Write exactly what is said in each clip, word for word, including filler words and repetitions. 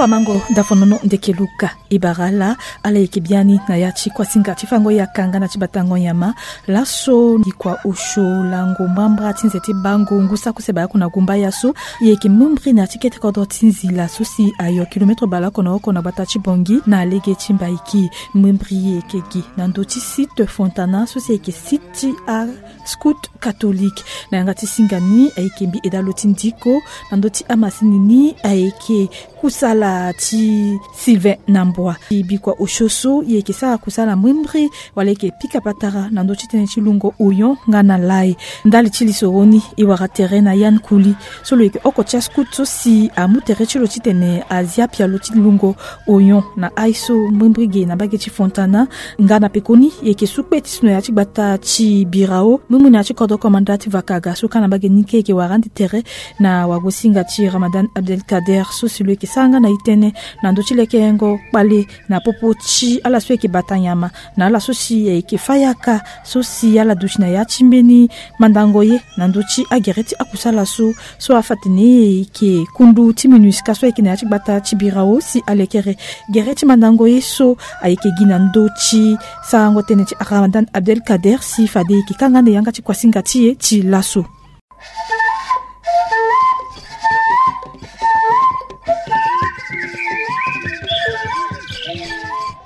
Pamango dafonono ndeke luka. E bara ala, ala yeke biani na ya ti kuasinga ti fango yaka nga na ti batango nyama. Laso bikua osio lango mbrambra ti nze ti bango ngu saki use baleoko na gumbaya so, e yeke mbrimbri na ya ti kete kodro ti nzila so si ayo kilometre baleoko na oko na gbata ti Bangui na lege ti Mbaïki. Mbrimbri e yeke gi na ndö ti site Fontana so si e yeke site ti a scout catholique. Na yanga ti singa ni ayeke mbi Edalo ti Ndiko. Na ndö ti amasini ni ayeke kusala ti Sylvain Nambwa. Ti bikua osio so e yeke sara kusala mbrimbri wala e yeke pika patara na ndö ti tënë ti lungo oyon nga na lai. Ndali ti lisoro ni e wara tere na Yann Kouli so lo yeke oko ti ascout so si amu tere ti lo titene azia pialo ti lungo oyon na ai so mbrimbri ge na mbage ti Fontana. Nga na pekoni e yeke su kpe ti so na ya ti gbata ti Birao, mbrimbri na ya ti kodro komanda ti Vakaga so ka na mbage ni ke e yeke wara ande tere na wagosinga ti Ramadan Abdelkader so si lo yeke sara nga na e tënë na ndö ti lekerengo kpale na popo ti ala so e yeke bata nyama na ala so si e yeke fa yaka so si ala duti na ya ti mbeni mandango ye na ndö ti agere ti akusala so, so afa atene e yeke kundu ti MINUSCA so ayeke na ya ti gbata ti Birao si alekere gere ti mandango ye so ayeke gi na ndö ti sarango tënë ti Ramadan Abdelkader si fade e yeke kanga ande yanga ti kuasinga ti e ti laso.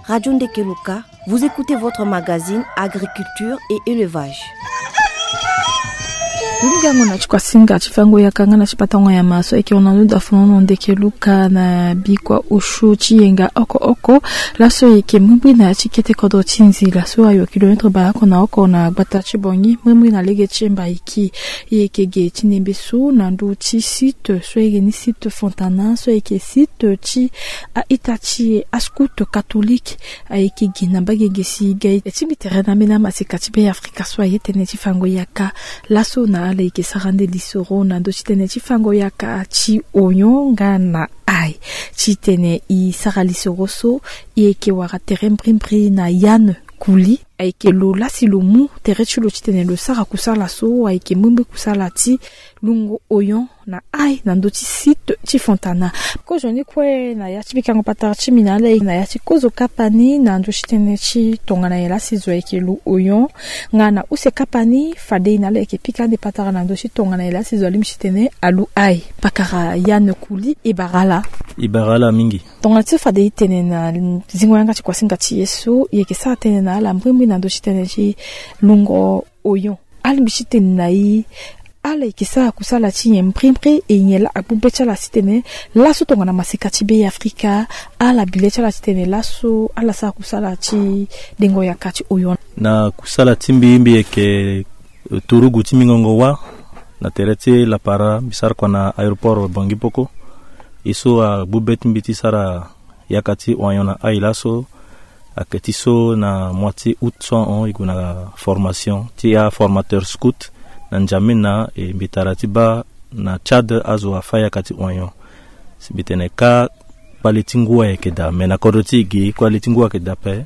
Radio Ndekeluka, vous écoutez votre magazine Agriculture et Élevage. Lugango na ti kuasinga ti fango yaka nga na ti batango nyama so ayeke hon na nduda fonono Ndekeluka na bikua osio ti yenga oko oko. Laso e yeke mbrimbri na ya ti kete kodro ti nzila so ayo kilometre baleoko na oko na gbata ti Bangui, mbrimbri na lege ti Mbaïki. E yeke ge ti nembe so na ndö ti site so ayeke ni site Fontana so ayeke site ti a-ita ti ascout catholique. Ayeke gi na mbage ge si ga e ti mbi tere na ambeni amaseka ti Be Afrika so aye tënë ti fango yaka. Laso na ala e yeke sara nde lisoro na ndö ti tënë ti fango yaka ti oyon nga na ai. Titene e sara lisoro so, e yeke wara tere mbrimbri na Yann Kouli. Ayeke lo lasi lo mu tere ti lo titene lo sara kusala so ayeke mbrimbri kusala ti lungo oyon na ai na ndö ti site ti Fontana. Kozo ni kue na ya ti pikango patara ti mbi na ala e na ya ti kozo kapa ni na ndö ti tënë ti tongana nyen lasi zo ayeke lo oyon. Nga na use kapa ni fade e na ala e yeke pika ande patara na ndö ti tongana nyen lasi zo alingbi titene alo ai. Pakara Yann Kouli, e bara ala. E bara ala mingi. Tongana ti fade e tene na zingo yanga ti kuasinga ti e so, e yeke sara tënë na ala mbrimbri na ndö ti tënë ti lungo oyon. Alingbi titene na e ala e yeke sara kusala ti nyen mbrimbri, e nyen laa agbu be ti ala titene laso tongana maseka ti Be Afrika, ala bi le ti ala titene laso ala sara kusala ti dengo yaka ti oyon. Na kusala ti mbi, mbi yeke turugu ti mbi ngongo wâ na tere ti lapara, mbi sara kua na aéroport Bangui Poko. E so agbu be ti mbi ti sara yaka ti oyon na ai laso, ayeke ti so na mois ti août so ahon e gue na formation ti aformateur scout na N'Djamena, e mbi tara ti baa na Tchad azo afa yaka ti oyon. Si mbi tene kâ kpale ti ngu ayeke daa, me na kodro ti e ge kpale ti ngu ayeke daa ape.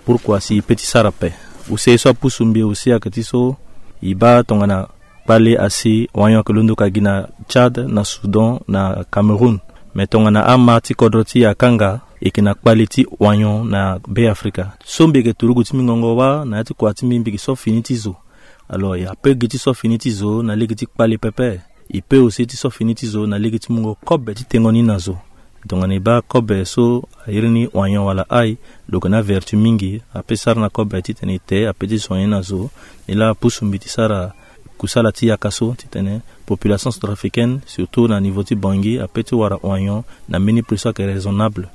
Pourquoi si e pe ti sara ape? Use ye so apusu mbi aussi ayeke ti so e baa tongana kpale asi oyon ayeke londo ka gi na Tchad, na Soudan, na Cameroun. Me tongana ama ti kodro ti e akanga, e yeke na kpale ti oyon na Be Afrika. So mbi yeke turugu ti mbi ngongo wâ na ya ti kua ti mbi, mbi yeke so fini ti zo. Alors e ape gi ti so fini ti zo na lege ti kpale pepe. E pe aussi ti so fini ti zo na lege ti mungo kobe ti tengo ni na zo. Tongana e baa kobe so a iri ni oyon wala ai, lo yeke na avertu mingi. Ape sara na kobe titene e te, ape ti soigner na zo. Ni laa apusu mbi ti sara kusala ti yaka so titene population centrafricaine, surtout na niveau ti Bangui, ape ti wara oyon na mbeni prix so ayeke raisonnable,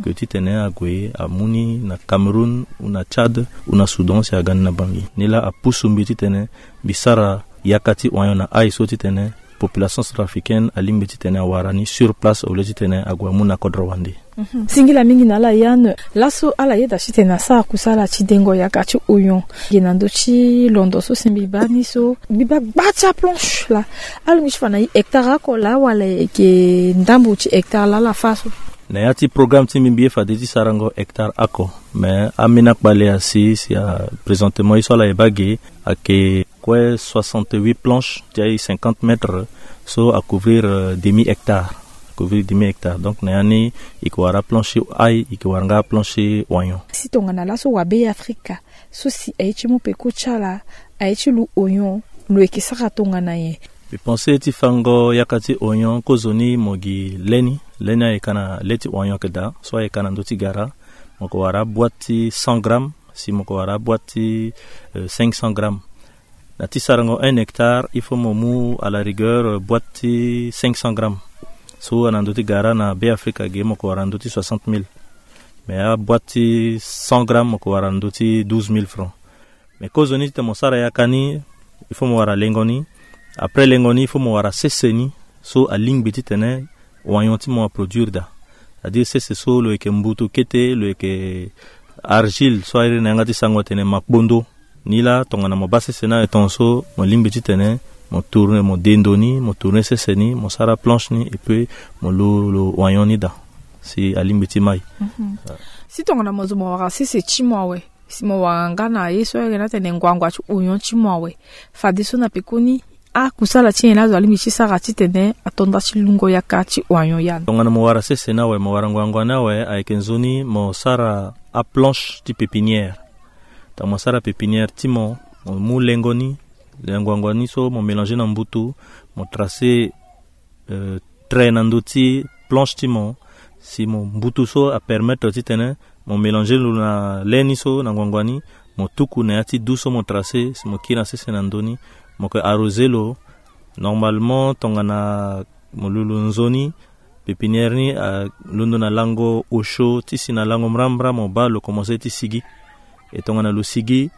que titene ague amu ni na Cameroun ou na Tchad ou na Soudan si aga ni na Bangui. Ni laa apusu mbi titene mbi sara yaka ti oyon na ai so titene population centrafricaine alingbi titene awara ni sur place au lieu titene ague amu na kodro wande. Mhm. Singila mingi na ala Yann. Laso ala yeda titene asara kusala ti dengo yaka ti oyon. Ge na ndö ti londo so si mbi baa ni so, mbi baa gba ti aplanche laa. Alingbi ti fa na e hectare oko laa wala e yeke ndambo ti hectare laa ala fa so? Na ya ti programme ti mbi, mbi ye fade ti sarango hectare oko. Me ambeni akpale asi si a présentement ye so ala yeba ge ayeke kue soixante-huit planches ti aye cinquante mètres so a couvrir, euh, demi hectare. Couvrir dix mille hectares. Donc na ya ni e ke wara planche ti ail, e ke wara nga planche ti oignon. Si tongana laso wa be afrika so si aye ti mu peko ti ala, aye ti lu oignon, lo yeke sara tongana nyen? Mbi pense ti fango yaka ti oignon kozoni mo gi le ni. Le ni ayeke na le ti oignon ayeke daa, so ayeke na ndö ti gara, mo ke wara boîte ti cent grammes, si mo ke wara boîte ti euh, cinq cents grammes. Na ti sarango un hectare, il faut mo mu à la rigueur euh, boîte ti cinq cents grammes. So ana ndö ti gara na be afrika ge mo ke wara ndö ti soixante mille. Mais aboîte ti cent grammes mo ke wara ndö ti douze mille francs. Mais kozoni titene mo sara yaka ni, il faut mo wara lengo ni. Après lengo ni, il faut mo wara sese ni so alingbi titene oignon ti mo aproduire daa. C'est-à-dire sese so lo yeke mbutu kete, lo yeke argile so airi na yanga ti sango atene makpondo. Ni laa tongana mo baa sese ni awe, tongaso mo lingbi titene mo tourne, mo de ndo ni, mo tourne sese ni, mo sara planche ni, et puis mo lu lo oignon ni daa si alingbi ti mai. Si tongana mo zo mo wara sese ti mo awe, si mo wara nga na ye so ayeke na atene ngbangba ti oignon ti mo awe, fadeso na pekoni akusala ti nyen laa azo alingbi ti sara titene ato nda ti lungo yaka ti oignon ya ni? Tongana mo wara sese ni awe, mo wara ngbangba ni awe, ayeke nzoni mo sara aplanche ti pépinière. Tongana mo sara pépinière ti mo, mo mu lengo ni, ngbangba ni so mo mélanger na mbutu, mo tracer euh, trait na ndö ti planche ti mo. Si mo mbutu so apermettre titene mo mélanger lo na le ni so na ngbangba ni, mo tuku na ya ti du so mo tracer, si mo kiri na sese na ndö ni, mo ke arroser lo. Normalement tongana mo lu lo nzoni, pépinière ni alondo na lango osio ti si na lango mbrambra, mo baa lo commencer ti sigi. E tongana lo sigi,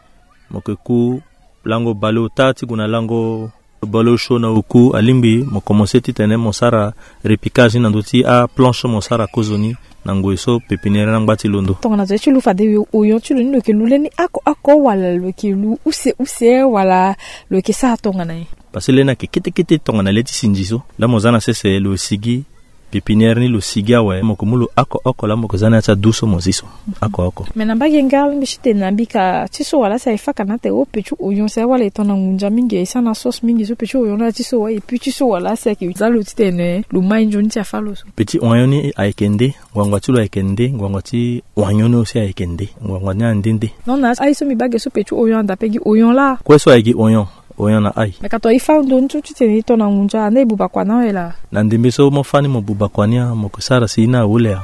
mo ke ku lango baleota ti gue na lango baleosio na oku, alingbi mo commencer titene mo sara repiquage ni na ndö ti aplanche mo sara kozoni na ngoi so pépinière ni angba ti londo. Tongana zo ye ti lu fade oignon ti lo ni, lo yeke lu le ni oko oko wala lo yeke lu use use wala lo yeke sara tongana nyen? Parce que le ni ayeke kete kete tongana le ti sinzi so. Laa mo za na sese lo sigi, pépinière ni lo sigi awe, mo ke mu lo oko oko laa mo ke za na ya ti adu so mo zi so oko oko. Mais na mbage nga alingbi titene na mbika ti so wala asi aye faka na ate o pe ti oignon si aye wala e tongana ngunza mingi, e sara na sauce mingi so pe ti oignon na ya ti so wa, et puis ti so wala asi ayeke za lo titene lo mai nzoni ti afa lo so. Pe ti oignon ni ayeke nde, ngbangba ti lo ayeke nde, ngbangba ti oignon ni aussi ayeke nde, ngbangba ni ande nde. Non na aye so mbi baa ge so pe ti oignon anda pe gi oignon laa. Kue so aye gi oignon, oignon na aye. Me ka to e fa ndo ni so titene e to na ngunza ande e buba kua na awe laa. Na ndembe so mo fa ni mo buba kua ni a, mo ke sara si ni awu le a.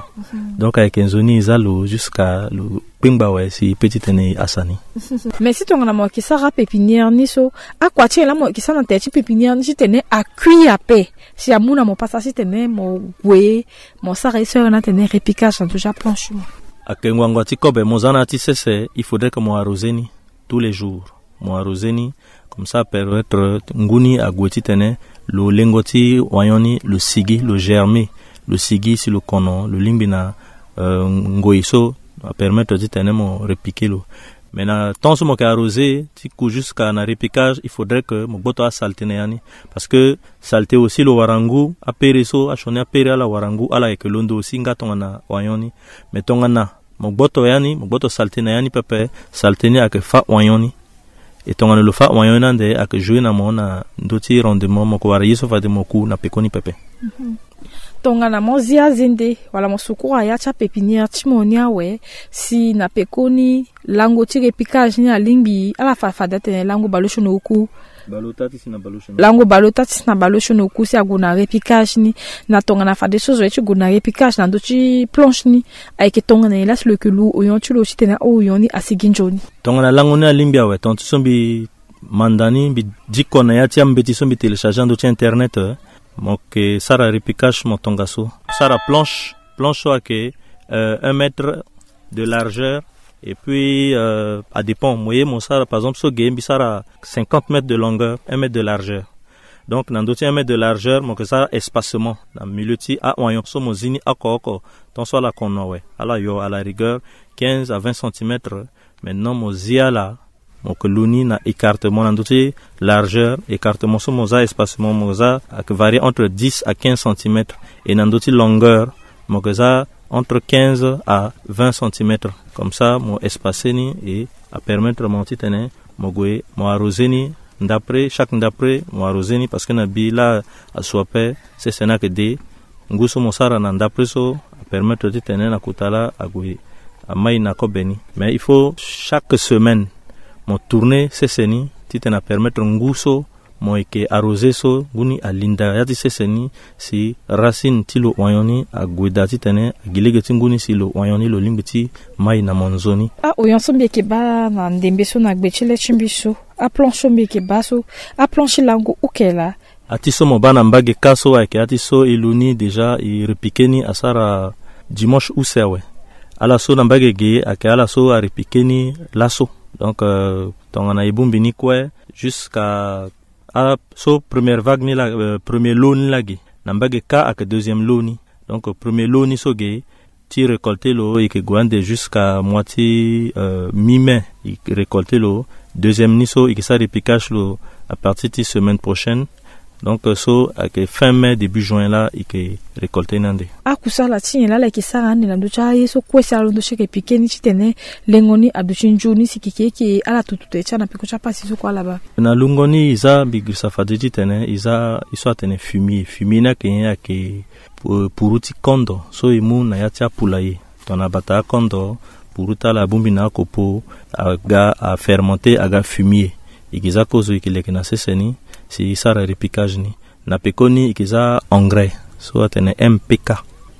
Donc ayeke nzoni e za lo jusqu'à lo kpengba awe si e pe titene e hasa ni. Mais si tongana mo yeke sara pépinière ni so, akua ti nyen laa mo yeke sara na tere ti pépinière ni titene akui ape, si amu na mo pasa titene mo gue mo sara ye so ayeke na atene repiquage na ndö ti aplanche mo? Ayeke ngbangba ti kobe mo za na ya ti sese, il faudrait que mo arroser ni tous les jours. Mo arroser ni, comme ça apermettre ngu ni ague titene lo lengo ti oignon ni lo sigi, lo germer, lo sigi si lo kono, lo lingbi na euh, ngoi so apermettre titene mo repiquer lo. Mais na temps so mo yeke arroser ti ku jusqu'à na repiquage, il faudrait que mo gboto asalte na ya ni. Parce que salte aussi lo wara ngu, apere so, asioni apere ala wara ngu, ala yeke londo aussi nga tongana oignon ni. Mais tongana mo gboto ya ni, mo gboto salte na ya ni pepe, salte ni ayeke fa oignon ni. E tongana lo fa oignon ni ande, ayeke jouer na mo na ndö ti rendement, mo yeke wara ye so fade mo ku na pekoni pepe. Tongana mo zi azende wala mo sukura ya ti apépinière ti mo ni awe, si na pekoni lango ti repiquage ni alingbi ala fa fade atene lango baleosio na oku. Baleota ti si na baleosio na oku. Lango baleota ti si na baleosio na oku si ague na repiquage ni. Na tongana fadeso zo ye ti gue na repiquage na ndö ti planche ni, ayeke tongana nyen laa si lo yeke lu oignon ti lo titene a-oignon ni asigi nzoni? Tongana lango ni alingbi awe, tonga ti so mbi manda ni, mbi diko na ya ti ambeti so mbi télécharger na ndö ti internet, eh, mo yeke sara repiquage mo tongaso. Sara planche, planche so ayeke euh, un mètre de largeur, et puis euh, adépend mo ye mo sara, par exemple so ge mbi sara cinquante mètres de longueur, un mètre de largeur. Donc na ndö ti un mètre de largeur mo yeke sara espacement na milieu ti a-oignon so mo zi ni oko oko. Tant so ala kono awe, ala yo à la rigueur quinze à vingt centimètres. Maintenant mo zi ala, mo yeke lu ni na écartement na ndö ti largeur, écartement so mo za, espacement mo za ayeke varier entre dix à quinze centimètres. Et na ndö ti longueur mo yeke za entre quinze à vingt centimètres. Comme ça mo espacer ni et apermettre mo titene mo gue mo arroser ni ndapre, chaque ndapre mo arroser ni, parce que na bi laa asu ape, sese ni ayeke de. Ngu so mo sara na ndapre so apermettre titene na kota laa ague amai na kobe ni. Mais il faut chaque semaine mo tourner sese ni titene apermettre ngu so mo yeke arroser so ngu ni alinda ya ti sese ni, si racine ti lo oignon ni ague daa titene agi lege ti ngu ni si lo oignon ni lo lingbi ti mai na mo nzoni. A-oignon so mbi yeke baa na ndembe so na gbe ti le ti mbi so, aplanche so mbi yeke baa so, aplanche ti lango uke laa. Ati so mo baa na mbage ka so ayeke ati so e lu ni déjà, e repiquer ni asara dimanche use awe. Ala so na mbage ge ayeke ala so arepiquer ni laso. Donc, euh, tongana e bongbi ni kue jusqu'à, ah, so première vague ni laa, euh, premier lot ni laa ge. Na mbage ka ayeke deuxième lot ni. Donc, euh, premier lot ni so ge, ti récolter lo e yeke gue ande jusqu'à mois ti, euh, mi mai, e récolter lo. Deuxième ni so e yeke sara repiquage lo à partir ti semaine prochaine. Donc, euh, so ayeke fin mai début juin laa e yeke récolter ni ande. Akusala ti nyen laa ala yeke sara ande na ndö ti aye so kue si ala londo ti yeke piquer ni titene lengo ni aduti nzoni si keke eke ala tutu tene ti ala na peko ti apasi so kue ala baa? Na lungo ni e za, mbi girisa fade titene e za ye so atene fumier. Fumier ni ayeke nyen? Ayeke pu-, puru ti kondo so e mu na ya ti apoulailler. Tongana bata akondo, puru ti ala abongbi na akopo, aga afermenter, aga fumier. E yeke za kozo e yeke leke na sese ni si e sara repiquage ni. Na pekoni e yeke za engrais so atene M P K. E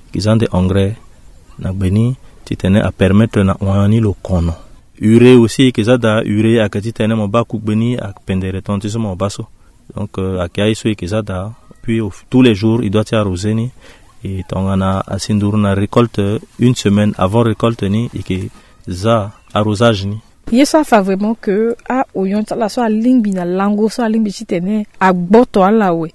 yeke za nde engrais na gbe ni titene apermettre na oignon ni lo kono. Urée aussi e yeke za daa. Urée ayeke titene mo baa kugbe ni apendere tongana ti so mo baa so. Donc, euh, ayeke aye so e yeke za daa. Puis au, tous les jours e doit ti arroser ni. E tongana asi nduru na récolte, une semaine avant récolte ni e yeke za arrosage ni. Ye so afa vraiment que a-oignon ti ala so alingbi na lango so alingbi titene agboto ala awe,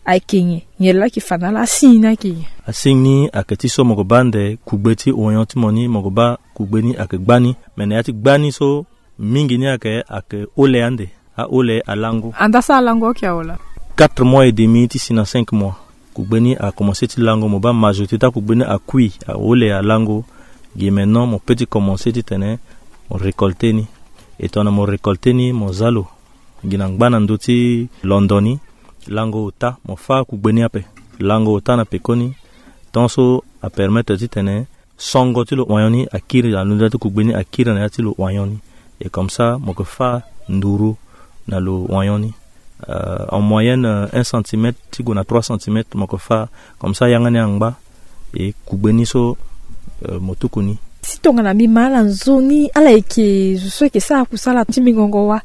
ayeke nyen? Nyen laa ayeke fa na ala? Asigne ni ayeke nyen? Asigne ni ayeke ti so mo yeke baa nde kugbe ti oignon ti mo ni, mo yeke baa kugbe ni ayeke gbani. Me na ya ti gbani so mingi ni ayeke, ayeke ole ande. Aole alango. Anda so alango ayeke awe laa? Quatre mois et demi ti si na cinq mois. Kugbe ni akomense ti lango, mo baa majorité ti akugbe ni akui, aole alango. Gi maintenant mo peut ti komense titene mo récolter ni. E tongana mo récolter ni mo za lo, gi na ngba na ndö ti londo ni, lango ota, mo fâ kugbe ni ape. Lango ota na pekoni, tant so apermettre titene songo ti lo oignon ni akiri, alunda ti kugbe ni akiri na ya ti lo oignon ni. Et comme ça mo yeke fâ nduru na lo oignon ni. Euh, en moyenne, euh, un centimètre ti gue na trois centimètres mo yeke fâ. Comme ça yanga ni angba. Et kugbe ni so, euh, mo tuku ni. Si tongana mbi ma ala nzoni, ala yeke zo so yeke sara kusala ti mingongo wa.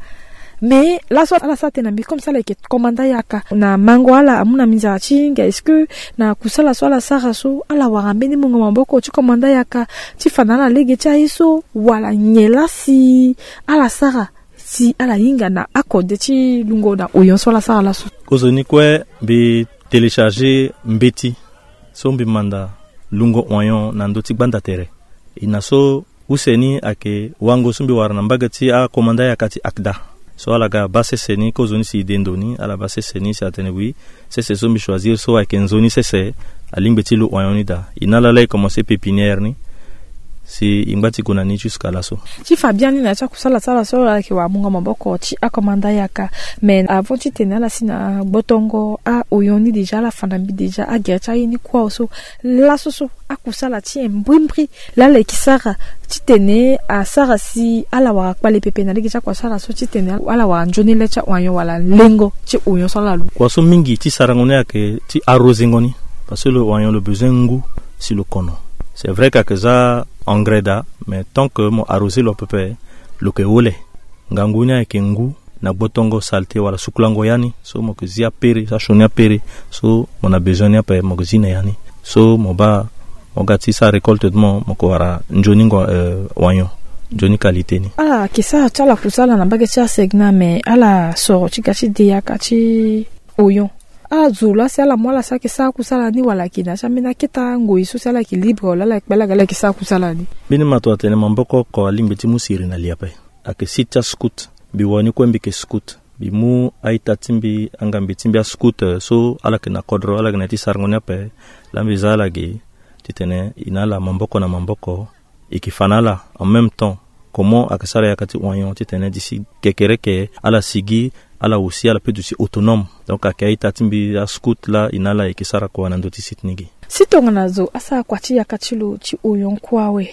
Mais laso ala sara tene na mbi comme si ala yeke komanda yaka. Na mango ala amu na mbi nzara ti hinga. Est-ce que na kusala so ala sara so ala wara mbeni mungo maboko ti komanda yaka ti fa na ala lege ti aye so, wala nyen laa si ala sara si ala hinga na akode ti lungo na oignon so ala sara laso? Kozoni kue mbi télécharger mbeti so mbi manda lungo oignon na ndö ti gbanda tere. E na so use ni ayeke wango so mbi wara na mbage ti akomanda yaka ti ACDA. So ala ga baa sese ni kozoni si e de ndo ni, ala baa sese ni si atene oui, sese so mbi choisir so ayeke nzoni sese, alingbi ti lo oignon ni daa. E na ala laa e komanse pépinière ni si e ngba ti gue na ni jusqu'à laso. Ti fa biani na ya ti akusala ti ala so ala yeke wara mungo maboko ti akomanda yaka. Mais avant titene ala si na gbotongo a-oignon ni déjà, ala fa na mbi déjà agere ti aye ni kue awe so. Laso so akusala ti nyen mbrimbri laa ala yeke sara titene asara si ala wara kpale pepe na lege ti akusala so titene ala wara nzoni le ti a-oignon wala lengo ti oignon so ala lu? Kua so mingi ti sarango ni ayeke ti arrosengo ni. Parce que lo oignon lo besoin ngu si lo kono. C'est vrai que ayeke za engrais daa, mais tant que mo arroser lo pepe, lo yeke ole. Ngangu ni ayeke ngu na gbotongo saleté wala sukulango ya ni. So mo yeke zi apere, so asioni apere, so mo na besoin ni ape mo yeke zi na ya ni. So mo baa mo ga ti sara récolte ti mo, mo yeke wara nzoni ngo, euh, oignon, nzoni qualité ni. Ala yeke sara ti ala kusala na mbage ti asegna, mais ala soro ti ga ti de yaka ti oignon. Ala zo laa si ala mu ala si ayeke sara kusala ni wala ayeke na ya ti ambeni akete ngoi so si ala yeke libre wala ala yeke kpe laa ga ala yeke sara kusala ni? Mbeni mato atene maboko oko alingbi ti mu siri na li ape. Ayeke site ti ascout. Mbi wani kue mbi yeke scout. Mbi mu a-ita ti mbi, angambi ti mbi ascout, euh, so ala yeke na kodro, ala yeke na ya ti sarango ni ape. Laa mbi za ala ge titene e na ala maboko na maboko, e yeke fa na ala en même temps comment ayeke sara yaka ti oignon titene d'ici kekereke ala sigi, ala aussi ala peut duti autonome. Donc ayeke a-ita ti mbi ascout laa e na ala e yeke sara kua na ndö ti site ni ge. Si tongana zo asara kua ti yaka ti lo ti oyon kue awe,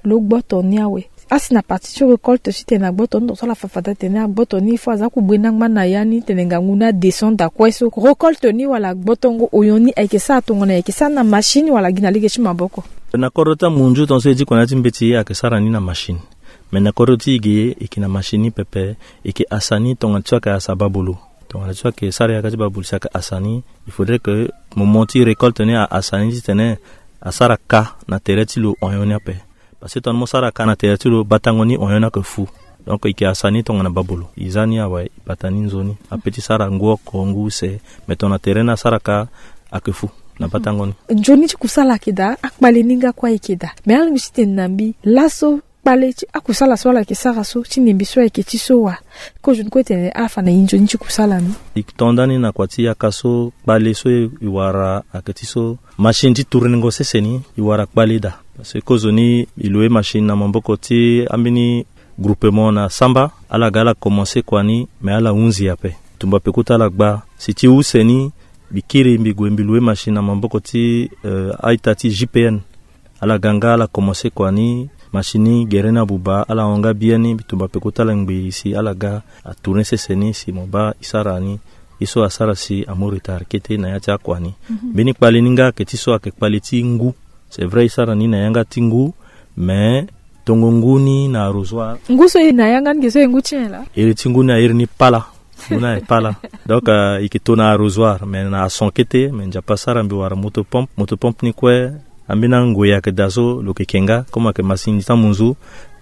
lo gboto ni awe. Asi na parti ti récolte titene agboto ni, tongaso ala fa fade atene agboto ni, il faut aza kue bue na ngba na ya ni tene ngangu ni adescendre kue so. Récolte ni wala gbotongo oyon ni ayeke sara tongana ayeke sara na machine wala gi na lege ti maboko? Na kodro ti amunzu, tongaso e di kua na ya ti mbeti ayeke sara ni na machine. Mais na kodro ti e ge, e yeke na machine ni pepe, e yeke hasa ni tongana ti so ayeke hasa babolo. Tongana ti so ayeke sara yaka ti babolo si ayeke hasa ni, il faudrait que moment ti récolte ni ahasa ni titene asara ka na tere ti lo oyon ni ape. Parce que tongana mo sara ka na tere ti lo, batango ni oyon ni ayeke fu. Donc e yeke hasa ni tongana babolo. E za ni awe, e bata ni nzoni. Ape ti sara ngu oko, ngu use. Mais tongana tere ni asara ka, ayeke fu na batango ni. Nzoni ti kusala ayeke daa, akpale ni nga kue ayeke daa. Mais alingbi titene na mbi laso kpale ti akusala so ala yeke sara so, ti ndembe so ayeke ti so wa? Kozo ni kue tene ala fa na e nzoni ti kusala ni. E tonda ni na kua ti yaka so, kpale so e wara ayeke ti so, machine ti tournengo sese ni, e wara kpale daa. Parce que kozoni e loue machine na maboko ti ambeni groupement na Samba, ala ga ala commencé kua ni, mais ala hunzi ape. Tumba peko ti ala gba. Si ti use ni, mbi kiri mbi gue mbi loue machine na maboko ti, euh, a-ita ti J P N. Ala ga nga ala commencé kua ni, machine ni gere ni abuba, ala hon nga biani, mbi tumba peko ti ala ngbei si ala ga atourné sese ni si mo baa e sara ni. Ye so asara si amu retard kete na ya ti akua ni. Mhm. Mbeni kpale ni nga ayeke ti so ayeke kpale ti ngu. C'est vrai e sara ni na yanga ti ngu, mais tongo ngu ni na arrosoir. Ngu so e na yanga ni ge so e ngu ti nyen laa? Iri ti ngu ni a iri ni pala. Ngu ni aye pala. Donc, euh, e yeke to na arrosoir, mais na ason kete, mais Nzapa asara mbi wara motopompe. Motopompe ni kue, ambeni angoi ayeke daa so lo yeke ke nga, comme ayeke masini ti amunzu,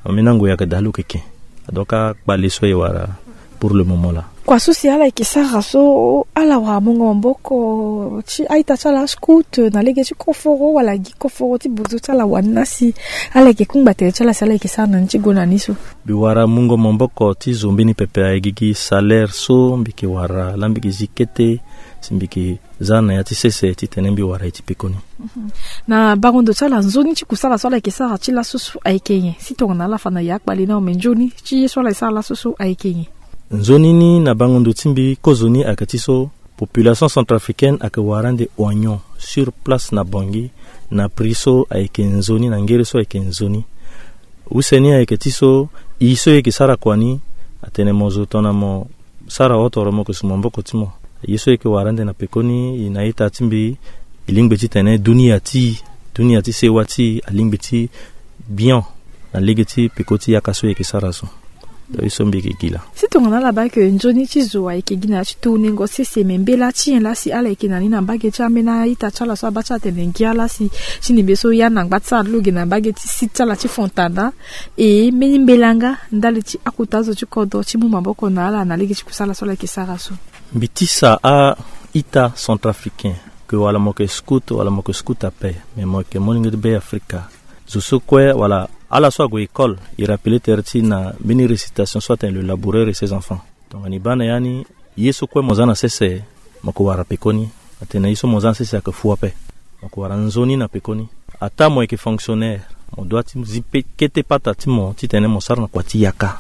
ambeni angoi ayeke daa lo yeke ke. Donc akpale so e wara pour le moment là. Kua so si ala yeke sara so, ala wara mungo maboko ti a-ita ti ala scout na lege ti koforo wala gi koforo ti bozo ti ala wani na si ala yeke kungba tere ti ala si ala yeke sara na ni ti gue na ni so? Mbi wara mungo maboko ti zo mbeni pepe, aye gigi salaire so mbi yeke wara laa mbi yeke zi kete si mbi yeke za na ya ti sese titene mbi wara ye ti pekoni. Mhm. Na bango ndo ti ala, nzoni ti kusala so ala yeke sara ti laso so ayeke nyen? Si tongana ala fa na ya akpale ni awe, me nzoni ti ye so ala yeke sara laso so ayeke nyen? Nzoni ni na bango ndo ti mbi kozoni ayeke ti so, population centrafricaine ayeke wara ande oignon sur place na Bangui na prix so ayeke nzoni, na ngere so ayeke nzoni. Use ni ayeke ti so, e so e yeke sara kua ni, atene mo zo tongana mo sara ota, mo yeke su maboko ti mo. Ye so e yeke wara ande na pekoni, e na ita ti mbi, e lingbi titene dunia ti e, dunia ti sewa ti e alingbi ti bian na lege ti peko ti yaka so e yeke sara so. Donc ye so mbi yeke gi laa. Si tongana ala baa ke nzoni ti zo ayeke gi na ya ti tournengo sese, me mbela ti nyen laa si ala yeke na ni na mbage ti ambeni a-ita ti ala so abaa ti atene ngia laa si ti ndembe so ya na ngba ti sara ti lo ge na mbage ti site ti ala ti Fontana, e mbeni mbela nga ndali ti akota azo ti kodro ti mu maboko na ala na lege ti kusala so ala yeke sara so? Mbi tisa a-ita centrafricain, ke wala mo yeke scout wala mo yeke scout ape, me mo yeke molenge ti Be Afrika, zo so kue wala ala so ague école, e rappeler tere ti e na mbeni récitation so atene le laboureur et ses enfants. Tongana e baa na ya ni, ye so kue mo za na sese, mo yeke wara pekoni. Atene ye so mo za na sese ayeke fu ape. Mo yeke wara nzoni na pekoni. Ataa mo yeke fonctionnaire, mo doit ti zi pe kete pata ti mo titene mo sara na kua ti yaka,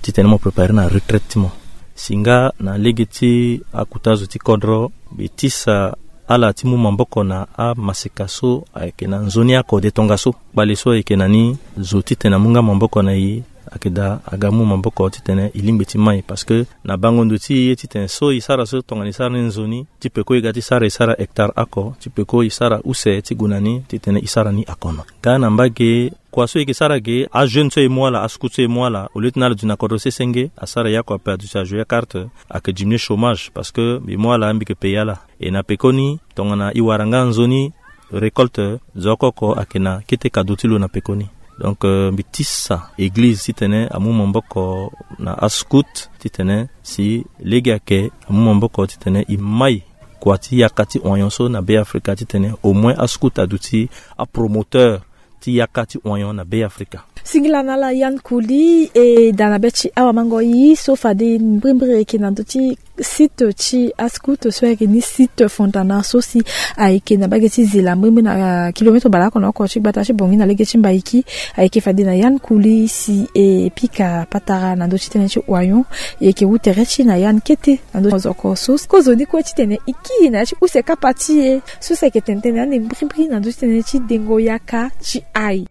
titene mo préparer na retraite ti mo. Si nga na lege ti akota zo ti kodro, mbi tisa ala ti mu maboko na amaseka so ayeke na nzoni akode tongaso. Kpale so ayeke na ni, zo titene amu nga maboko na e, ayeke daa aga mu maboko titene e lingbi ti mai, parce que na bango ndo ti e ye titene so e sara so tongana e sara ni nzoni, ti peko e ga ti sara, e sara hectare oko, ti peko e sara use ti gue na ni titene e sara ni akono. Nga na mbage, kua so e yeke sara ge, ajeune so e mu ala, ascout so e mu ala, au lieu ti na ala duti na kodro sese nge, asara ye oko ape, aduti ajoue acarte, ayeke diminuer chômage, parce que mbi mu ala, mbi yeke payer ala. E na pekoni, tongana e wara nga nzoni récolte, zo oko oko ayeke na kete cadeau ti lo na pekoni. Donc, euh, mbi tisa église titene amu maboko na ascout titene si lege ayeke amu maboko titene e mai kua ti yaka ti oignon so na Be Afrika titene au moins ascout aduti apromoteur ti yaka ti oignon na Be Afrika. Singila na ala Yann Kouli, e da na be ti awamango ye so fade mbrimbri ayeke na ndö ti site ti ascout so ayeke ni site Fontana so si ayeke na mbage ti Zila mbrimbri na, ah, kilometre baleoko na oko ti gbata ti Bangui na lege ti Mbaiki. Ayeke fade na Yann Kouli si e pika patara na ndö ti tënë ti Oyon. E yeke wu tere ti e na Yann kete na ndö ti mozoko so si kozoni kue titene e kiri na ya ti use kapa ti e so si ayeke tene tënë ande mbrimbri na ndö ti tënë ti dengo yaka ti ai.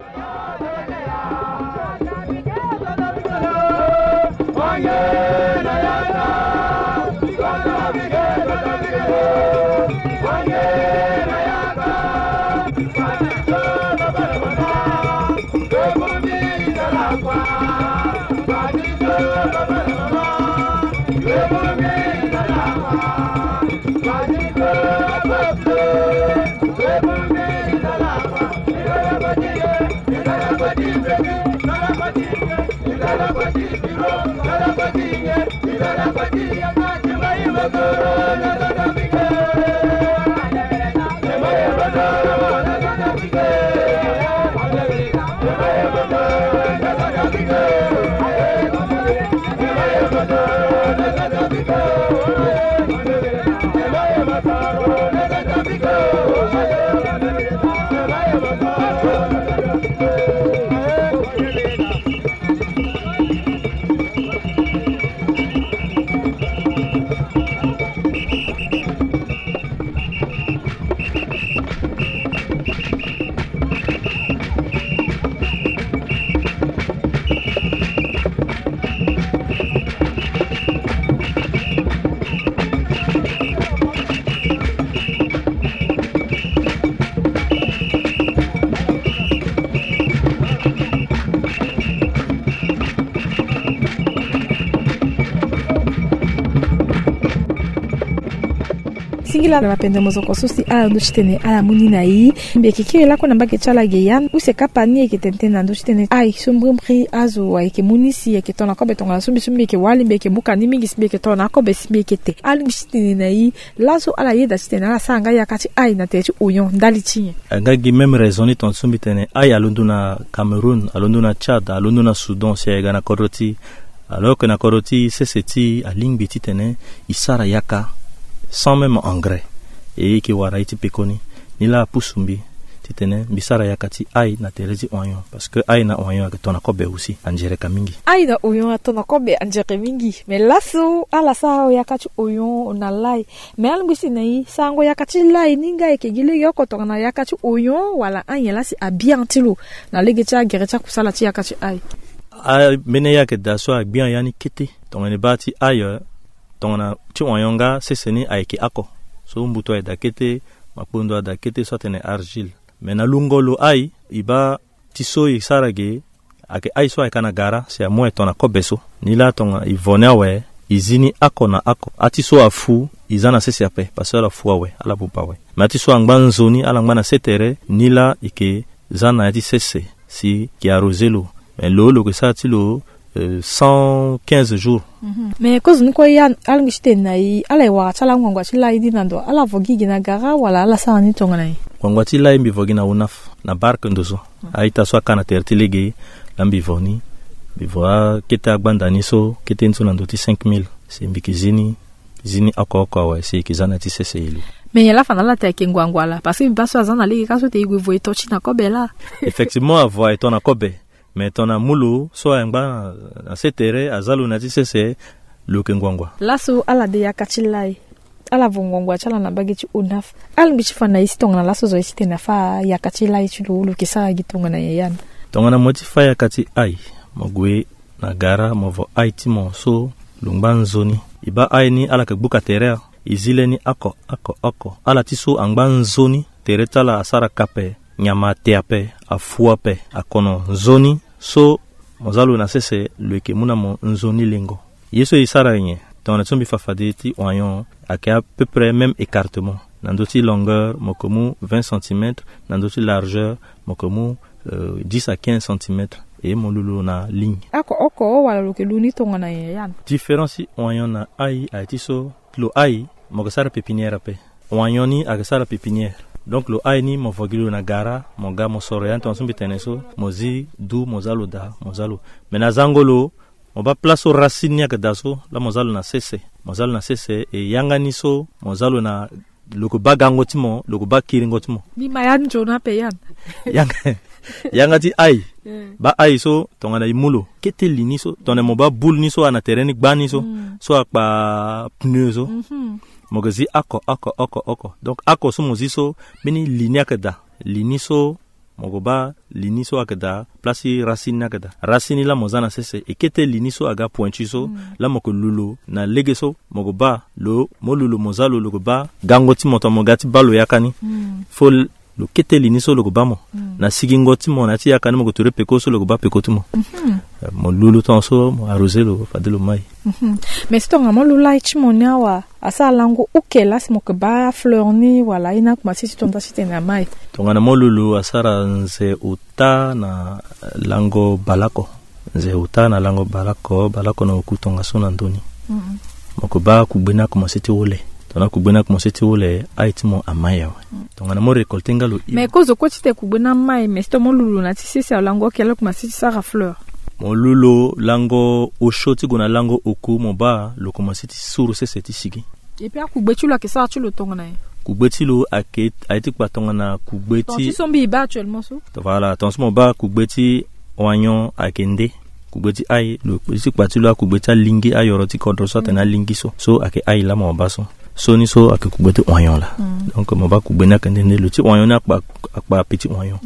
Singila na mapende mozoko so si ala ndö ti tene ala mu ni na e. Mbi yeke kiri lakue na mbage ti ala ge ya. Use kapa ni ayeke tene tënë na ndö ti tene ai so mbrimbri azo ayeke mu ni si ayeke to na kobe tongana so mbi so mbi yeke wali mbi yeke mu ka ni mingi si mbi yeke to na akobe si mbi yeke te. Alingbi ti tene na e laso ala yeda ti tene ala sara nga yaka ti ai na tere ti Oyon ndali ti nyen? Nga gi même raison ni tongana so mbi tene ai alondo na Cameroun, alondo na Tchad, alondo na Soudan si aye ga na kodro ti Alors que na kodro ti sese ti e alingbi titene e sara yaka sans même engrais. E yeke wara ye ti pekoni. Ni laa apusu mbi titene mbi sara yaka ti ai na tere ti Oyon, parce que ai na Oyon ayeke to na kobe aussi, anzereka mingi. Ai na Oyon ato na kobe, anzere mingi. Mais laso ala sara yaka ti Oyon na lai. Mais alingbi si na e sarango yaka ti lai ni nga ayeke gi legeoko tongana yaka ti Oyon wala anyen laa si abien ti lo na lege ti agere ti akusala ti yaka ti ai? Ambeni ye ayeke daa so agbia ya ni kete. Tongana e baa ti ailleurs, tongana ti Oyon nga sese ni ayeke oko. So mbutu ayeke daa kete, makpondo adaa kete so atene argile. Me na lungo lo ai, e baa ti so e sara ge, ayeke ai so ayeke na gara si amu aye tongana kobe so. Ni laa tongana e vo ni awe, e zi ni oko na oko. Ati so afu, e za na sese ape, parce que ala fu awe, ala buba awe. Me ati so angba nzoni, ala ngba na se tere, ni laa e yeke za na ya ti sese si e yeke arroser lo. Me lo, lo yeke sara ti lo, euh, cent quinze jours. Mhm. Me kozoni kue ya, alingbi ti tene na e, ala ye wara ti ala ngbangba ti lai ni na ndo, ala vo gi gi na gara wala ala sara ni tongana nyen? Ngbangba ti lai mbi vo gi na UNAF, na barke ndo so. Mhm. A-ita so aka na tere ti lege, laa mbi vo ni. Mbi vo akete agbanda ni so, kete ni so na ndo ti cinq mille. Si mbi yeke zi ni, zi ni oko oko awe si e yeke za na ya ti sese e lu. Me nyen laa fa na ala te ayeke ngbangba laa? Parce que mbi baa so aza na lege ka so te e gue vo e to ti na kobe laa. Effectivement, avo aye to na kobe. Me tongana amu lo so aye ngba na se tere, aza lo na ya ti sese, lo yeke ngbangba. Laso ala de yaka ti lai, ala vo ngbangba ti ala na mbage ti UNAF. Alingbi ti fa na e si tongana laso zo ye ti tene afa yaka ti lai ti lo, lo yeke sara gi tongana nyen ya ni? Tongana mo ye ti fa yaka ti ai, mo gue na gara, mo vo ai ti mo so lo ngba nzoni. E baa ai ni ala yeke gbuka tere, e zi le ni oko oko oko. Ala ti so angba nzoni, tere ti ala asara ka ape, nyama ate ape, afu ape, akono nzoni. So mo za lo na sese, lo yeke mu na mo nzoni lengo. Ye so e sara nyen? Tongana ti so mbi fa fade ti Oyon ayeke à peu près même écartement. Na ndö ti longueur mo yeke mu vingt centimètres, na ndö ti largeur mo yeke mu, euh, dix à quinze centimètres. E mo lu lo na ligne. Oko oko wala lo yeke lu ni tongana nyen ya ni? Différence ti Oyon na ai aye ti so, lo ai mo yeke sara pépinière ape. Oyon ni ayeke sara pépinière. Donc lo aye ni mo vo gi lo na gara, mo ga mo soro ya ni tongaso mbi tene so, mo zi du mo za lo daa, mo za lo. Me na zango lo, mo baa place so racine ni ayeke daa so, laa mo za lo na sese. Mo za lo na sese, e yanga ni so mo za lo na, lo yeke baa gango ti mo, lo yeke baa kiringo ti mo. Ni ma ya ni nzoni ape ya ni. Yanga, yanga ti aye. Baa aye so tongana e mu lo, kete li ni so, tongana mo baa boule ni so ana tere ni gbani so, so akpa pneu so. Mo yeke zi oko, oko, oko, oko. Donc oko so mo zi so, mbeni li ni ayeke daa. Li ni so, mo yeke baa li ni so ayeke daa, place ti racine ni ayeke daa. Racine ni laa mo za na sese, e kete li ni so aga pointu so, laa mo yeke lu lo na lege so, mo yeke baa lo, mo lu lo mo za lo, lo yeke baa gango ti mo tongana mo ga ti baa lo yaka ni. Fo lo kete li ni so lo yeke baa mo. Na sigingo ti mo na ya ti yaka ni mo yeke ture peko so lo yeke baa peko ti mo. Eh, mo lu lo tongaso, mo arrosé lo, fade lo mai. Mais si tongana mo lu lai ti mo ni awa, asara lango oke laa si mo yeke baa fleur ni wala aye ni akomanse ti to nda titene amai? Tongana mo lu lo asara nze ota na lango baleoko. Nze ota na lango baleoko, baleoko na oku tongaso na ndö ni. Mo yeke baa kugbe ni akomanse ti hole. Tongana kugbe ni akomanse ti hole, aye ti mo amai awe. Tongana mo récolté nga lo. Mais kozo kue titene kugbe ni amai, mais si tongana mo lu lo na ya ti sese awe lango oke laa lo komanse ti sara fleur. Mo lu lo lango osio ti gue na lango oku, mo baa lo komanse ti suru sese ti sigi. Et puis akugbe ti lo ayeke sara ti lo tongana nyen? Kugbe ti lo ayeke, aye ti kpa tongana kugbe ti, tongaso so mbi e baa actuellement so. Voilà, tongaso mo baa kugbe ti oignon ayeke nde. Kugbe ti aye, lo ti kpa ti lo akugbe ti alingbi, ayoro ti kodro so atene alingbi so. So ayeke aye laa mo baa so. So ni so ayeke kugbe ti oignon laa. Donc mo baa kugbe ni ayeke nde nde, lo ti oignon ni akpa, akpa petit oignon.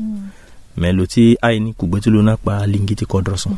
Mais lo ti aye ni kugbe ti lo ni akpa alingbi ti kodro so.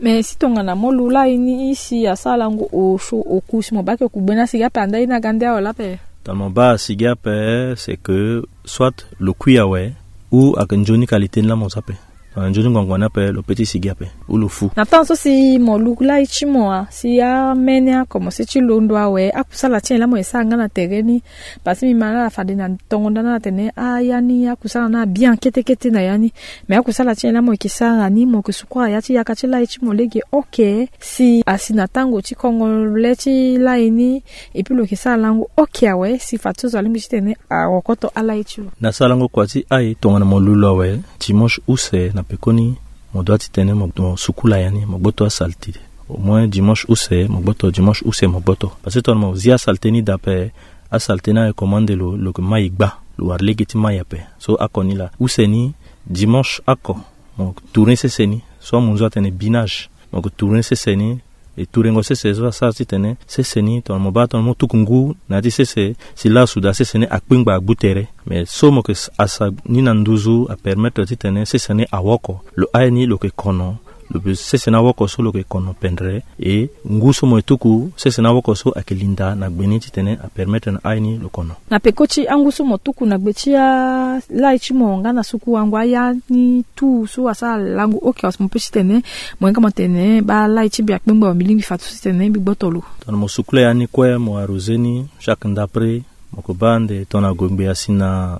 Mais si tongana mo lu lai ni si asara lango osio oku, si mo baa ke kugbe ni asigi ape, anda ye ni aga nde awe laa ape? Tongana mo baa asigi ape, c'est que soit lo kui awe, ou ayeke nzoni qualité ni laa mo za ape. Tongana nzoni ngbangbo ni ape, lo peut ti sigi ape ou lo fu. Na temps so si mo lu lai ti mo, si amai ni akomanse ti londo awe, akusala ti nyen laa mo ye sara nga na tere ni? Parce que mbi ma na ala fade na tongo nda na ala tene, ah, ya ni akusala ni abien kete kete na ya ni. Mais akusala ti nyen laa mo yeke sara ni, mo yeke sukura ya ti yaka ti lai ti mo lege oke, si asi na tango ti kongole ti lai ni, et puis lo yeke sara lango oke awe, si fade so zo alingbi titene arokoto alai ti lo? Na sarango kua ti aye, tongana mo lu lo awe, dimanche use na pekoni, mo doit titene mo, mo sukula ya ni, mo gboto asalite. Au moins dimanche use mo gboto, dimanche use mo gboto. Parce que tongana mo zi asalite ni daa ape, asalite ni aye commande lo, lo yeke mai gba, lo wara lege ti mai ape. So oko ni laa, use ni, dimanche oko, mo tourner sese ni, so amunzu atene binage. Mo yeke tourner sese ni, e tourengo sese so asara titene sese ni, tongana mo baa tongana mo tuku ngu na ya ti sese, si laa asu daa sese ni akpingba agbu tere. Mais so mo yeke asa ni na nduzu apermettre titene sese ni awoko. Lo aye ni lo yeke kono, lo pe sese ni awoko so lo yeke kono pendre, e ngu so mo ye tuku sese ni awoko so ayeke linda na gbe ni titene apermettre na aye ni lo kono. Na peko ti angu so mo tuku na gbe ti alai ti mo nga na suku wango aya ni tu so asara lango oke, si mo pe titene mo hinga mo tene baa lai ti mbi akpengba, mbi lingbi fade so titene mbi gboto lo. Tongana mo sukula ya ni kue, mo arrosé ni chaque ndapre, mo yeke baa ande tongana gongbe asi na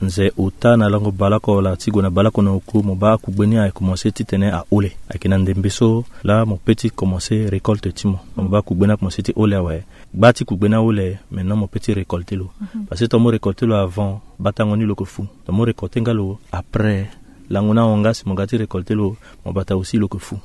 nze ota na lango baleoko wala ti gue na baleoko na oku, mo baa akugbe ni aye komanse titene ahole. Ayeke na ndembe so laa mo pe ti komanse récolte ti mo. Mo baa kugbe ni akomanse ti hole awe. Gba ti kugbe ni ahole, maintenant mo pe ti récolter lo. Parce que tongana mo récolter lo avant, batango ni lo yeke fu. Tongana mo récolter nga lo après, lango ni ahon nga, si mo ga ti récolter lo, mo bata aussi lo yeke fu.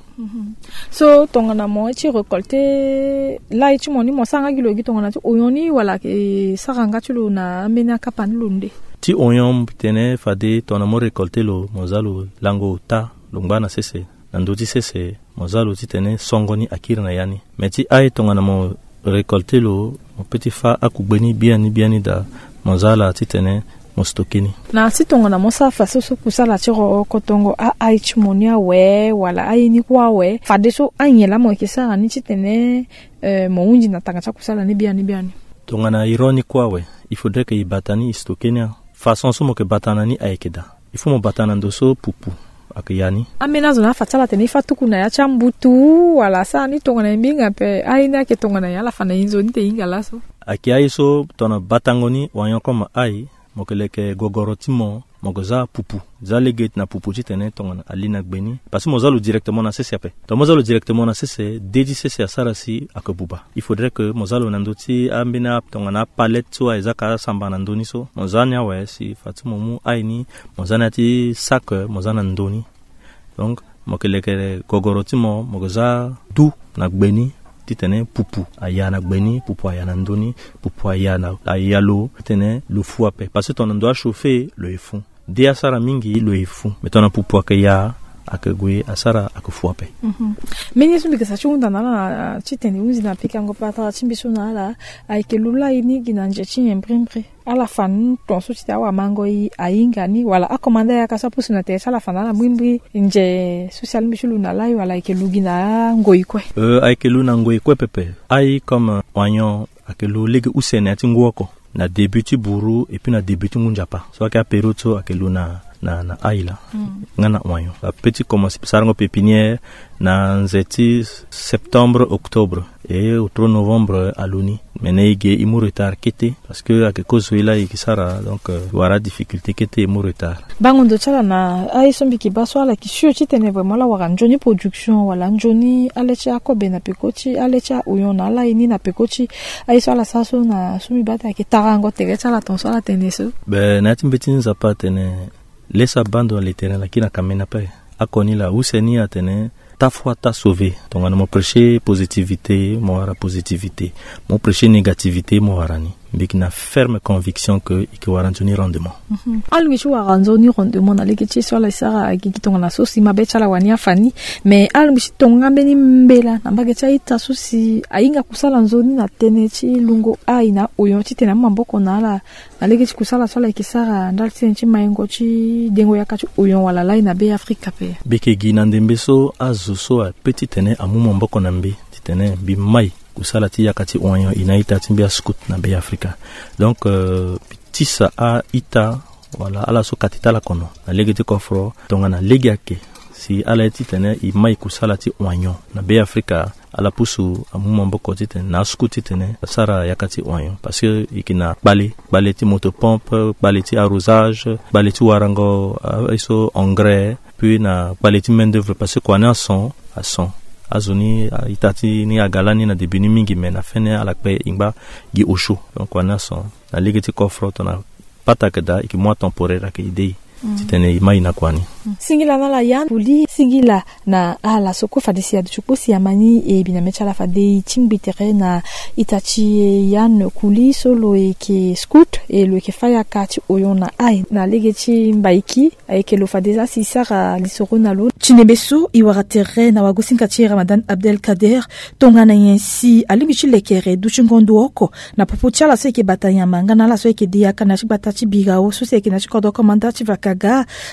So tongana mo ye ti récolter lai ti mo ni, mo sara nga gi lo gi tongana ti oyon ni, wala ayeke sara nga ti lo na ambeni akapa ni lo nde? Ti oyon mbi tene fade tongana mo récolter lo, mo za lo lango ota, lo ngba na sese. Na ndö ti sese, mo za lo titene songo ni akiri na ya ni. Me ti aye tongana mo récolter lo, mo pe ti fâ akugbe ni biani biani daa, mo za ala titene mo stocker ni. Na si tongana mo sara faso so kusala ti ro kotongo a-aye ti mo ni awe, wala aye ni kue awe, fadeso anyen laa mo yeke sara ni titene, eh, mo hunzi na tanga ti akusala ni biani biani? Tongana e ro ni kue awe, il faudrait que e bata ni, e stocker ni. Façon so mo yeke bata na ni ayeke daa. Il faut mo bata na ndo so pupu ayeke ya ni. Ambeni azo na afa ti ala atene e fâ tuku na ya ti ambutu, wala asara ni tongana e mbinga ape, aye ni ayeke tongana nyen, ala fa na e nzoni te e hinga laso? Ayeke aye so tongana batango ni, wanyon koma aye, mo yeke leke gogoro ti mo, mo ke za pupu. Za lege na pupu titene tongana ali na gbe ni, parce que mo za lo directement na sese ape. Donc mo za lo directement na sese, de ti sese asara si ake buba. Il faudrait que mo za lo na ndö ti ambeni a tongana apalette so aye za ka asamba na ndö ni so, mo za ni awe si fa ti mo mu ai ni, mo za ni ya ti sac, mo za na ndö ni. Donc mo ke leke gogoro ti mo, mo ke za du na gbe ni, titene pupu aya na gbe ni, pupu aya na ndö ni, pupu aya na aya lo, titene lo fu ape. Parce que tongana ndo achauffer lo ye fu. De asara mingi lo ye fu. Mais tongana pupu ake ya, ake gue asara ake fu ape. Mhm. Mbeni ye so mbi ke sa ti hunda na ala na titene hunzi na pikango patara ti mbi so na ala, ayeke lo lai ni gi na nze ti nyen mbirimbiri? Ala fa ni ton so titene awamango e ahinga ni, wala akomanda yaka so apusu na tere ti ala fa na ala mbirimbiri nze so si alingbi ti lo na lai, wala ayeke lo gi na angoi kue? Euh, ayeke lo na ngoi kue pepe. Ai comme oignon ayeke lo lege use na ya ti ngu oko, na début ti buru et puis na début ti ngu nzapa. So ayeke apériode so ayeke lo na, na, na ai laa. Mm. Nga na oignon ape ti commencer sarango pépinière na nze ti septembre, octobre, et autro novembre alo ni. Mais na e ge e mu retard kete, parce que ayeke kozo e laa e ke sara, donc euh, e wara difficulté kete, e mu retard. Bango ndo ti ala na aye so mbi ke baa so ala yeke sûr titene vraiment ala wara nzoni production wala nzoni ale ti akobe na peko ti ale ti aoyon na ala ye ni na peko ti aye so ala sara so na so mbi baa ti ayeke tarango tere ti ala ton so ala tene so. Be na ya ti mbeti ti Nzapa atene laisse abandon à l'Éternel, aki na kamena ape. Akoni laa use ni atene ta foi ta sauver. Tongana mo prêcher positivité, mo wara positivité. Mo prêcher négativité, mo wara ni. Mbi yeke na ferme conviction que e yeke wara nzoni rendement. Mhm. Alingbi ti wara nzoni rendement na lege ti ye so ala sara agigi tongana so si mabe ti ala wani afa ni. Mais alingbi ti tonga mbeni mbela na mbage ti a-ita so si ahinga kusala nzoni na tënë ti lungo ai na oyon titene amu maboko na ala na lege ti kusala so ala yeke sara ndali ti tënë ti maingo ti dengo yaka ti oyon wala lai na Be Afrika ape. Mbi yeke gi na ndembe so azo so ape titene amu maboko na mbi titene mbi mai kusala ti yaka ti oyon e na a-ita ti mbi ascout na Be Afrika. Donc euh, mbi tisa a-ita wala ala so kati ti ala kono na lege ti kofro tongana lege ayeke si ala ye titene e mai kusala ti oyon na Be Afrika. Ala pusu amu maboko titene na ascout titene asara yaka ti oyon, parce que e yeke na kpale, kpale ti motopompe, kpale ti arrosage, kpale ti warango ah, aye so engrais, puis na kpale ti main d'œuvre, parce que kua ni ason, ason. Azo ni a-ita ti ni aga lani na début ni mingi, mais na fin ni ala kpe e ngba gi osio. Donc kua ni ason na lege ti kofro tongana pata ayeke daa, e yeke mu atemporaire ayeke aidé e. Mm. Titene e mai na kua ni. Mm. Singila na ala Yann Pouli, singila na ala so kue fade si aduti kpo si amani e bi na mê ti ala fade e tingbi tere na ita ti Yann Pouli so lo yeke scout e lo yeke fâ yaka ti oyon na ai na lege ti Mbaiki. Ayeke lo fade za si e sara lisoro na lo. Ti ndembe so e wara tere na wagosinga ti e Ramadan Abdelkader, tongana nyen si alingbi ti lekere dutingo ndo oko na popo ti ala so ayeke bata nyama nga na ala so ayeke de yaka na ya ti gbata ti Birao so si ayeke na ya ti kodro komanda ti Vakaga.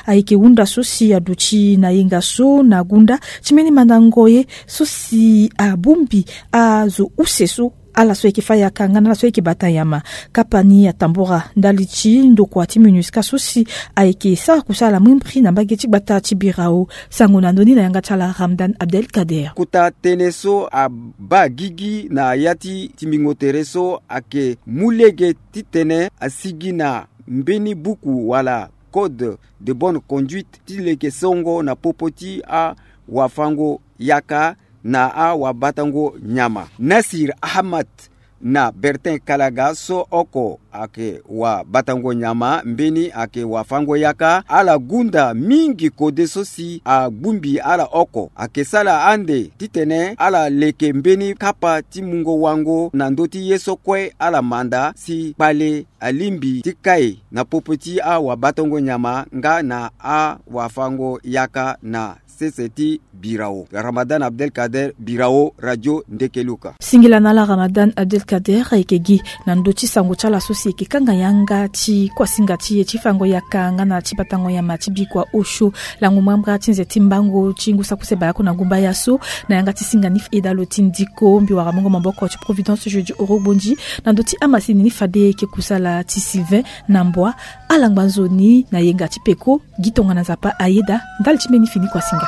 Ayeke hunda so si aduti na yenga so na gunda ti mbeni mandango ye so si abongbi azo use so ala so ayeke fâ yaka nga na ala so ayeke bata nyama. Kapa ni atambura ndali ti ndokua ti MINUSCA so si ayeke sara kusala mbrimbri na mbage ti gbata ti Birao. Sango na ndö ni na yanga ti ala Ramadan Abdelkader. Kota tënë so abaa gigi na ya ti timbingo tere so ayeke mu lege titene asigi na mbeni buku wala code de bonne conduite ti leke songo na popo ti awafango yaka na awabatango nyama. Nasir Ahmad na Bertin Kalaga so oko ayeke wabatango nyama mbeni ayeke wafango yaka, ala gunda mingi kode so si agbungbi ala oko. Ayeke sala ande titene ala leke mbeni kapa ti mungo wango na ndö ti ye so kue ala manda si kpale alingbi ti kai na popo ti awabatango nyama nga na awafango yaka na sese ti Birao. Ramadan Abdelkader, Birao, Radio Ndekeluka. Singila na ala Ramadan Abdelkader. Ayeke gi na ndö ti sango ti ala so si eke kanga yanga ti kuasinga ti e ti fango yaka nga na ti batango nyama ti bikua osio lango mbrambra ti nze ti mbango ti ngu saki use baleoko na gumbaya so. Na yanga ti singa ni eda lo ti ndiko mbi wara mungo maboko ti Providence Jeudi Orogbonzi na ndö ti amasini ni fade eke kusala ti Sylvain na Mbwa. Ala ngba nzoni na yenga ti peko. Gi tongana Nzapa ayeda ndali ti mbeni fini kuasinga.